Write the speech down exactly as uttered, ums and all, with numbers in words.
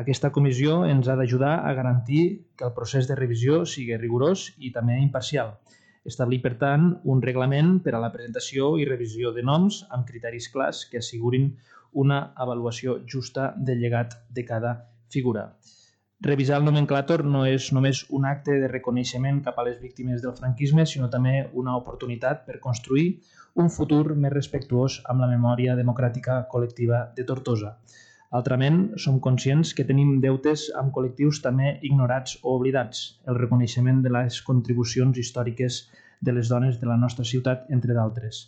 Aquesta comissió ens ha d'ajudar a garantir que el procés de revisió sigui rigorós i també imparcial. Establir, per tant, un reglament per a la presentació i revisió de noms amb criteris clars que assegurin una avaluació justa del llegat de cada figura. Revisar el nomenclàtor no és només un acte de reconeixement cap a les víctimes del franquisme, sinó també una oportunitat per construir un futur més respectuós amb la memòria democràtica col·lectiva de Tortosa. Altrament, som conscients que tenim deutes amb col·lectius també ignorats o oblidats, el reconeixement de les contribucions històriques de les dones de la nostra ciutat, entre d'altres.